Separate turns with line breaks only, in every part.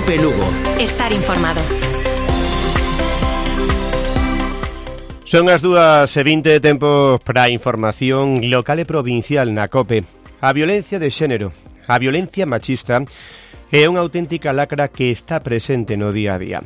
COPE Lugo.
Estar informado.
Son as 2:20, tempo para a información local e provincial na COPE. A violencia de xénero, a violencia machista, é unha auténtica lacra que está presente no día a día.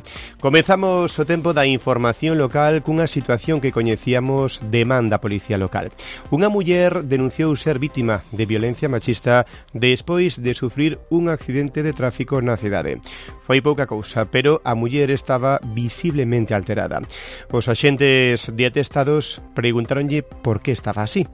Comezamos o tempo da información local cunha situación que coñecíamos demanda a Policía Local. Unha muller denunciou ser vítima de violencia machista despois de sufrir un accidente de tráfico na cidade. Foi pouca cousa, pero a muller estaba visiblemente alterada. Os axentes de atestados preguntaronlle por que estaba así.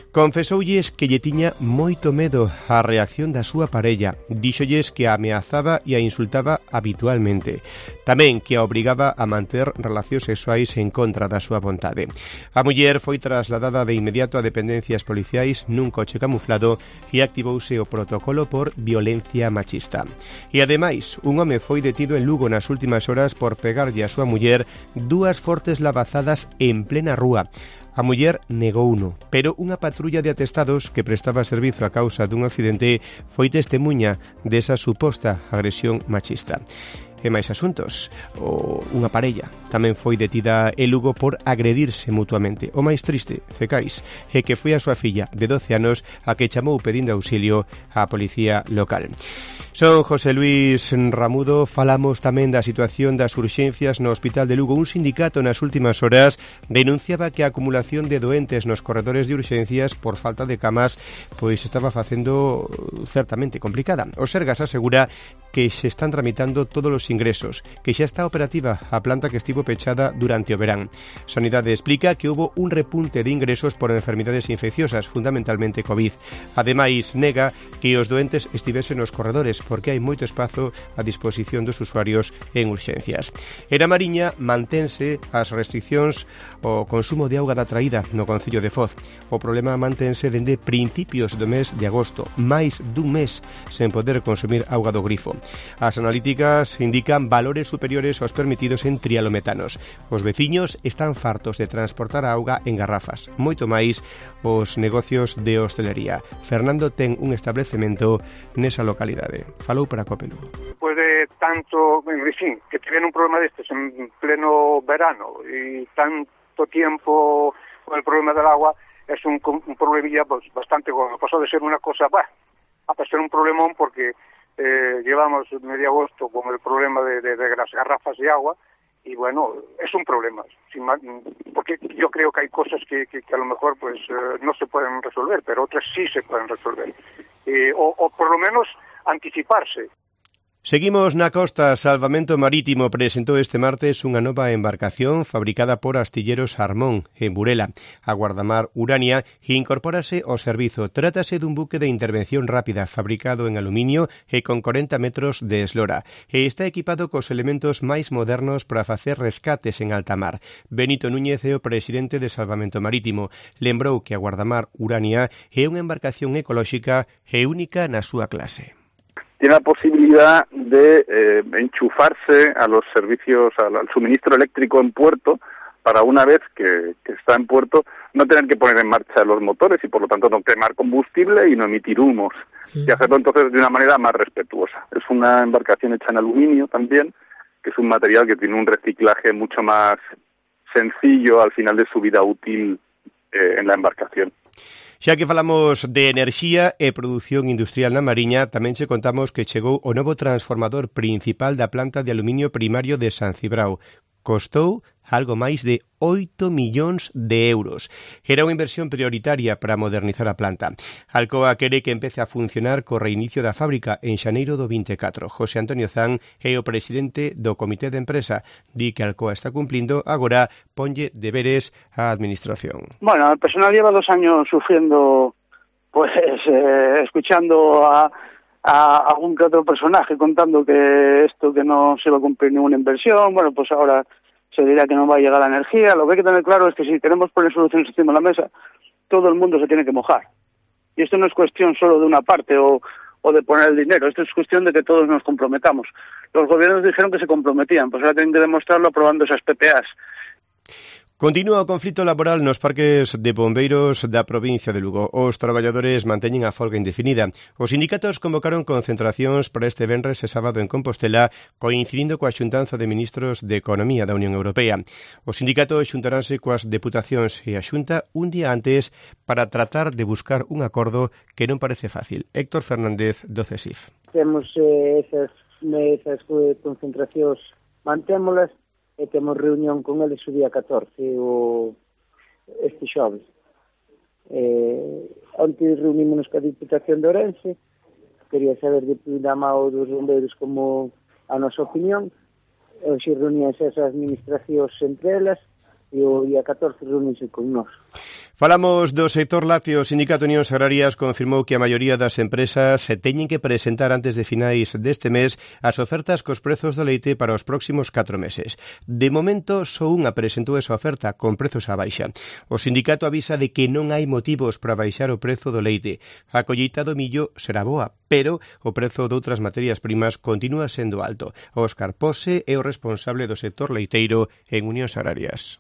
Confesoulles que lle tiña moito medo á reacción da súa parella. Díxolles que a ameazaba e a insultaba habitualmente. Tamén que a obrigaba a manter relacións sexuais en contra da súa vontade. A muller foi trasladada de inmediato a dependencias policiais nun coche camuflado e activouse o protocolo por violencia machista. E ademais, un home foi detido en Lugo nas últimas horas por pegarlle a súa muller 2 fortes labazadas en plena rúa. A muller negouno, pero unha patrulla de atestados que prestaba servizo a causa dun accidente foi testemuña desa suposta agresión machista. E máis asuntos, unha parella tamén foi detida en Lugo por agredirse mutuamente. O máis triste, Cecais, é que foi a súa filla de 12 anos a que chamou pedindo auxilio á policía local. Son José Luis Ramudo. Falamos tamén da situación das urxencias no Hospital de Lugo. Un sindicato nas últimas horas denunciaba que a acumulación de doentes nos corredores de urxencias por falta de camas pois estaba facendo certamente complicada. O Sergas asegura que se están tramitando todos os ingresos, que xa está operativa a planta que estivo pechada durante o verán. Sanidade explica que houbo un repunte de ingresos por enfermidades infecciosas, fundamentalmente COVID. Ademais, nega que os doentes estivesen nos corredores, porque hai moito espazo a disposición dos usuarios en urxencias. En a Mariña mantense as restriccións ao consumo de auga da traída no Concello de Foz. O problema mantense dende principios do mes de agosto, máis dun mes sen poder consumir auga do grifo. As analíticas indican valores superiores aos permitidos en trialometanos. Os veciños están fartos de transportar a auga en garrafas, moito máis os negocios de hostelería. Fernando ten un establecemento nesa localidade. Falou para COPE Lugo.
Pois de tanto, en fin, que tiven un problema destes en pleno verano e tanto tiempo con el problema del agua, es un problemilla pues, bastante gordo. Pasó de ser una cosa, a ser un problemón porque llevamos medio agosto con el problema de las garrafas de agua y bueno, es un problema, porque yo creo que hay cosas que a lo mejor pues no se pueden resolver, pero otras sí se pueden resolver, o por lo menos anticiparse.
Seguimos na costa. Salvamento Marítimo presentou este martes unha nova embarcación fabricada por Astilleros Armón, en Burela. A Guardamar Urania incorpórase ao servizo. Trátase dun buque de intervención rápida fabricado en aluminio e con 40 metros de eslora. E está equipado cos elementos máis modernos para facer rescates en alta mar. Benito Núñez é o presidente de Salvamento Marítimo. Lembrou que a Guardamar Urania é unha embarcación ecolóxica e única na súa clase.
Tiene la posibilidad de enchufarse a los servicios, al suministro eléctrico en puerto, para una vez que está en puerto no tener que poner en marcha los motores y por lo tanto no quemar combustible y no emitir humos, y hacerlo entonces de una manera más respetuosa. Es una embarcación hecha en aluminio también, que es un material que tiene un reciclaje mucho más sencillo al final de su vida útil en la embarcación.
Xa que falamos de enerxía e produción industrial na Mariña, tamén che contamos que chegou o novo transformador principal da planta de aluminio primario de San Cibrao. Costou algo máis de 8 millóns de euros. Era unha inversión prioritaria para modernizar a planta. Alcoa quere que empece a funcionar co reinicio da fábrica en xaneiro do 24. José Antonio Zan é o presidente do comité de empresa. Di que Alcoa está cumplindo, agora ponlle deberes á administración.
Bueno, el personal lleva 2 años sufriendo, pues, escuchando a algún que otro personaje contando que esto que no se va a cumplir ninguna inversión. Bueno, pues ahora se dirá que no va a llegar la energía. Lo que hay que tener claro es que si queremos poner soluciones encima de la mesa, todo el mundo se tiene que mojar. Y esto no es cuestión solo de una parte o de poner el dinero, esto es cuestión de que todos nos comprometamos. Los gobiernos dijeron que se comprometían, pues ahora tienen que demostrarlo aprobando esas PPAs.
Continúa o conflito laboral nos parques de bombeiros da provincia de Lugo. Os traballadores manteñen a folga indefinida. Os sindicatos convocaron concentracións para este venres e sábado en Compostela, coincidindo coa xuntanza de ministros de Economía da Unión Europea. Os sindicatos xuntaránse coas deputacións e a Xunta un día antes para tratar de buscar un acordo que non parece fácil. Héctor Fernández, do CESIF.
Temos esas concentracións, mantémolas, e temos reunión con eles o día 14, este xoves. Antes reunimos ca Diputación de Ourense, quería saber de primeira mão dos bombeiros como a nosa opinión, hoxe reuníanse esas administracións entre elas, e o día 14 reunirse con nós.
Falamos do sector lácteo. O Sindicato Unións Agrarias confirmou que a maioría das empresas se teñen que presentar antes de finais deste mes as ofertas cos prezos do leite para os próximos 4 meses. De momento, só unha presentou esa oferta con prezos á baixa. O sindicato avisa de que non hai motivos para baixar o prezo do leite. A colleita do millo será boa, pero o prezo de outras materias primas continúa sendo alto. Óscar Pose é o responsable do sector leiteiro en Unións Agrarias.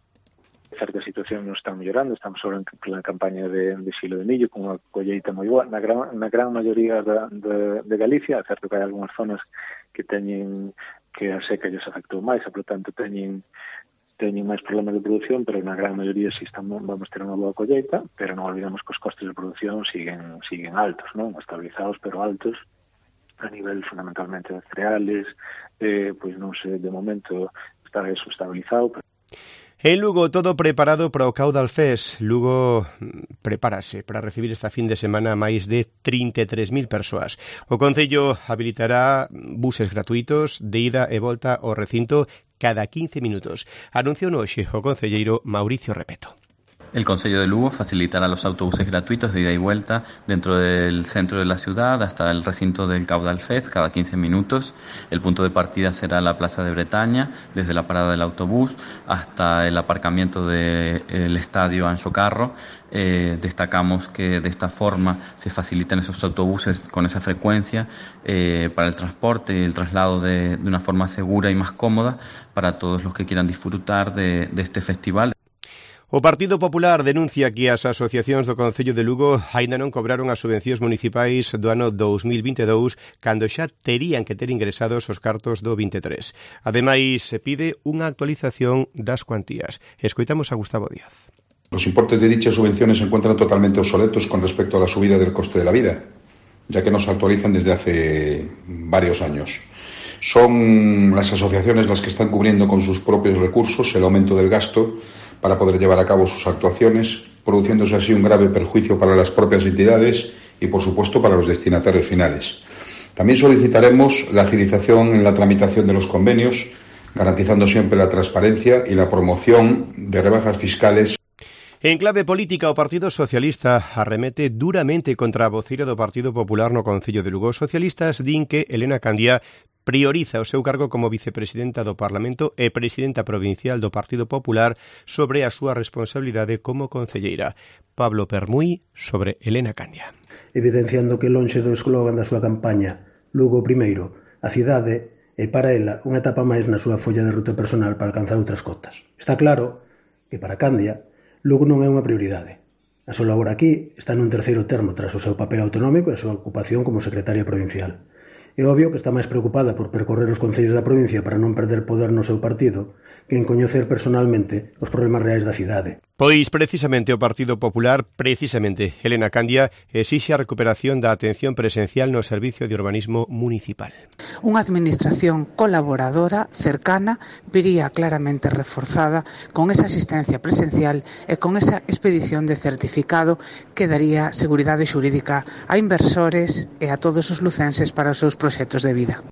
Certa situación non está mellorando, estamos agora na campaña de xilo de millo con unha colleita moi boa na gran maioría de Galicia. É certo que hai algunhas zonas que teñen que a seca lles afectou máis, e, por tanto, teñen máis problemas de producción, pero na gran maioría sí vamos ter unha boa colleita, pero non olvidamos que os costes de producción siguen altos, non? Estabilizados, pero altos, a nivel fundamentalmente de cereales, pois non sei, de momento está eso estabilizado, pero
En Lugo, todo preparado para o Caudal Fest. Lugo prepárase para recibir esta fin de semana máis de 33.000 persoas. O Concello habilitará buses gratuitos de ida e volta ao recinto cada 15 minutos. Anunciou hoxe o concelleiro Mauricio Repeto.
El Concello de Lugo facilitará los autobuses gratuitos de ida y vuelta dentro del centro de la ciudad hasta el recinto del Caudal Fest cada 15 minutos. El punto de partida será la Plaza de Bretaña, desde la parada del autobús hasta el aparcamiento del Estadio Anxo Carro. Destacamos que de esta forma se facilitan esos autobuses con esa frecuencia para el transporte y el traslado de una forma segura y más cómoda para todos los que quieran disfrutar de este festival.
O Partido Popular denuncia que as asociacións do Concello de Lugo aínda non cobraron as subvencións municipais do ano 2022 cando xa terían que ter ingresados os cartos do 23. Ademais, se pide unha actualización das cuantías. Escoitamos a Gustavo Díaz.
Los importes de dichas subvenciones se encuentran totalmente obsoletos con respecto a la subida del coste de la vida, ya que no se actualizan desde hace varios años. Son las asociaciones las que están cubriendo con sus propios recursos el aumento del gasto para poder llevar a cabo sus actuaciones, produciéndose así un grave perjuicio para las propias entidades y, por supuesto, para los destinatarios finales. También solicitaremos la agilización en la tramitación de los convenios, garantizando siempre la transparencia y la promoción de rebajas fiscales.
En clave política, o Partido Socialista arremete duramente contra a voceira do Partido Popular no Concello de Lugo. Os socialistas din que Elena Candia prioriza o seu cargo como vicepresidenta do Parlamento e presidenta provincial do Partido Popular sobre a súa responsabilidade como concelleira. Pablo Permuy sobre Elena Candia.
Evidenciando que lonxe do eslogan da súa campaña Lugo primeiro, a cidade é para ela unha etapa máis na súa folla de ruta personal para alcanzar outras cotas. Está claro que para Candia Lugo non é unha prioridade. A súa labor aquí está nun terceiro termo tras o seu papel autonómico e a súa ocupación como secretaria provincial. É obvio que está máis preocupada por percorrer os concellos da provincia para non perder poder no seu partido que en coñecer personalmente os problemas reais da cidade.
Pois precisamente o Partido Popular, Elena Candia, exixe a recuperación da atención presencial no Servicio de Urbanismo Municipal.
Unha administración colaboradora, cercana, viría claramente reforzada con esa asistencia presencial e con esa expedición de certificado que daría seguridade xurídica a inversores e a todos os lucenses para os seus proxectos de vida.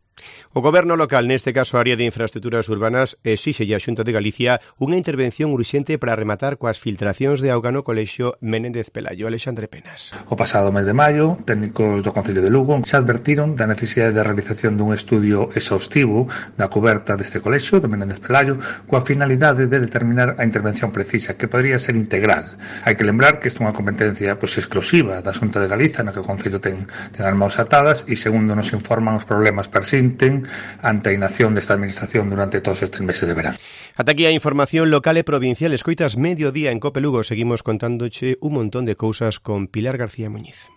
O Goberno local, neste caso a área de infraestructuras urbanas, exixe a Xunta de Galicia unha intervención urxente para rematar coas filtracións de auga no colexio Menéndez Pelayo. Alexandre Penas.
O pasado mes de maio, técnicos do Concello de Lugo xa advertiron da necesidade de realización dun estudio exhaustivo da coberta deste colexio de Menéndez Pelayo coa finalidade de determinar a intervención precisa, que podría ser integral. Hai que lembrar que isto é unha competencia exclusiva da Xunta de Galicia, na que o Concello ten as mãos atadas e, segundo nos informan, os problemas persisten lamenten ante a inacción desta administración durante todos estes meses de verán.
Ata aquí a información local e provincial. Escoitas Mediodía en Cope Lugo. Seguimos contándoche un montón de cousas con Pilar García Muñiz.